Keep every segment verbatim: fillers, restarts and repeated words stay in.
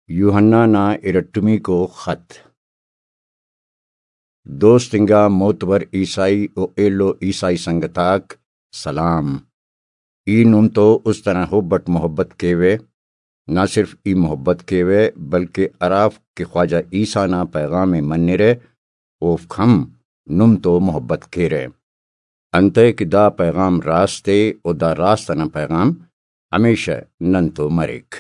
یوحنا نا ارٹمیکو خط۔ دوست انگا معتبر عیسائی و ایلو عیسائی سنگت آک، سلام۔ ای نم تو است انا حب اٹ محبت کیوہ، نہ صرف ای محبت کیوہ بلکہ ہرافک کہ خواجہ عیسی نا پیغام ءِ منرہ، اوفک ہم نم تو محبت کیرہ۔ انتئے کہ دا پیغام راست ءِ، و دا راست انا پیغام ہمیشہ نن تو مریک۔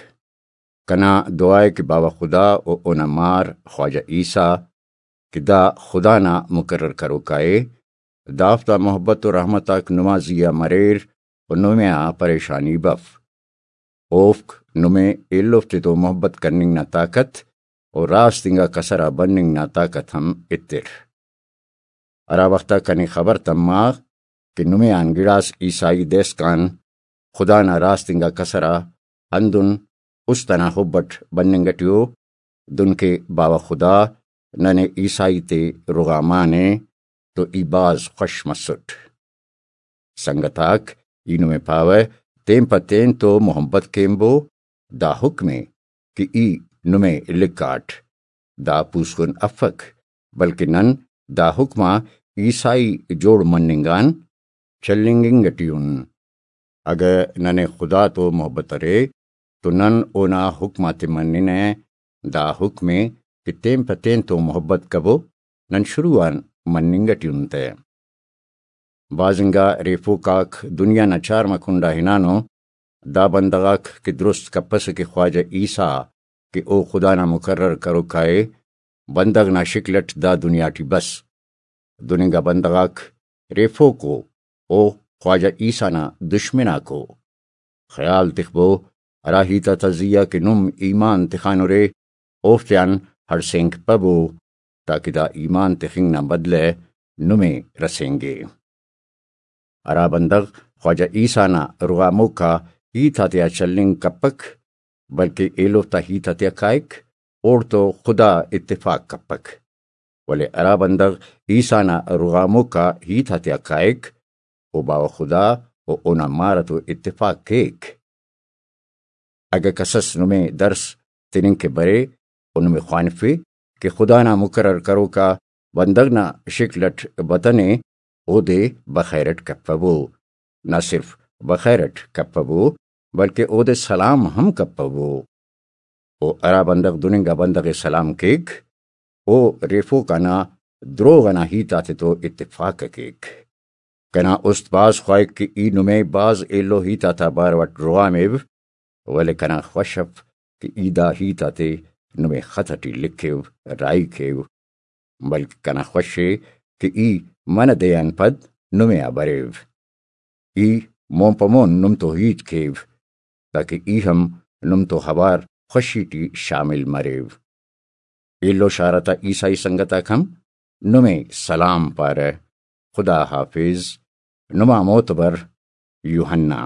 کنا دعا ءِ کہ باوہ خدا و اونا مار خواجہ عیسی کہ دا خدا نا مقرر کروکا ءِ، دافتا محبت و رحمت آک نما زیہا مریر و نمے آ پریشانی بف۔ اوفک نمے ایلو تتو محبت کننگ نا طاقت و راست انگا کسر آ بننگ نا طاقت ہم ایتر۔ ہرا وخت آ کنے خبر تما کہ نمے آن گڑاس عیسائی دائسکان خدا نا راست انگا کسر آ ہندن است انا حب اٹ بننگ اٹی ءُ، دنکہ باوہ خدا ننے عیسائی تے رغامانے تو ای بھاز خوش مسٹ۔ سنگت آک، ای نمے پاوہ، تین پہ تین تو محبت کینبو، دا حکم ءِ کہ ای نمے لکھاٹ۔ دا پوسکن افک، بلکہ نن دا حکم آ عیسائی جوڑ مننگ آن چلینگنگ اٹی ان۔ اگہ ننے خدا تو محبت ارے تو نن اونا حکم آتے مننہ۔ دا حکم ءِ کہ تین پہ تین تو محبت کبو، نن شروع آن مننگ اٹی ان تہ۔ بھاز انگا ریفوک آک دنیا نا چارمہ کنڈا ہنانو، دا بندغ آک کہ درست کپسہ کہ خواجہ عیسی کہ او خدا نا مقرر کروکا ءِ، بندغ نا شکل اٹ دا دنیا ٹی بس۔ دن انگا بندغ آک ریفوک ءُ، او خواجہ عیسی نا دشمن آک ءُ۔ خیال تخبو، ہرا ہیت آتا زیہا کہ نم ایمان تخانرے، اوفتیان ہڑسینگ پبو، تاکہ دا ایمان تخنگ نا بدلہ نمے رسینگے۔ ہرا بندغ خواجہ عیسی نا رغاموکا ہیت آتیا چلینگ کپک، بلکہ ایلوفتا ہیت آتیا کائک، اوڑتو خدا اتفاق کپک۔ ولے ہرا بندغ عیسی نا رغاموکا ہیت آتیا کائک، او باوہ خدا و اونا مار اتو اتفاق کیک۔ اگہ کسس نمے درس تننگ کہ برے و نمے خوانفے کہ خدا نا مقرر کروکا بندغ نا شکل اٹ بتنے، اودے بخیر اٹ کپبو۔ نہ صرف بخیر اٹ کپبو، بلکہ اودے سلام ہم کپبو۔ و ہرا بندغ دن انگا بندغ ءِ سلام کیک، او ریفوکا نا دروغ ئنا ہیت آتتو اتفاق ءِ کیک۔ کنا است بھاز خواہک کہ ای نمے بھاز ایلو ہیت آتا بارو اٹ رغامو، ولے کنا خوش اف کہ ای دا ہیت آتے نمے خط اٹی لکھو، راہی کیو، بلکہ کنا خوش ءِ کہ ای منہ دے آن پد نمے آ بریو۔ ای مون پہ مون نم تو ہیت کیو، تاکہ ای ہم نم تو اوار خوشی ٹی شامل مریو۔ ایلو شار آتا عیسائی سنگت آک ہم نمے سلام پارہ۔ خدا حافظ۔ نما معتبر یوحنا۔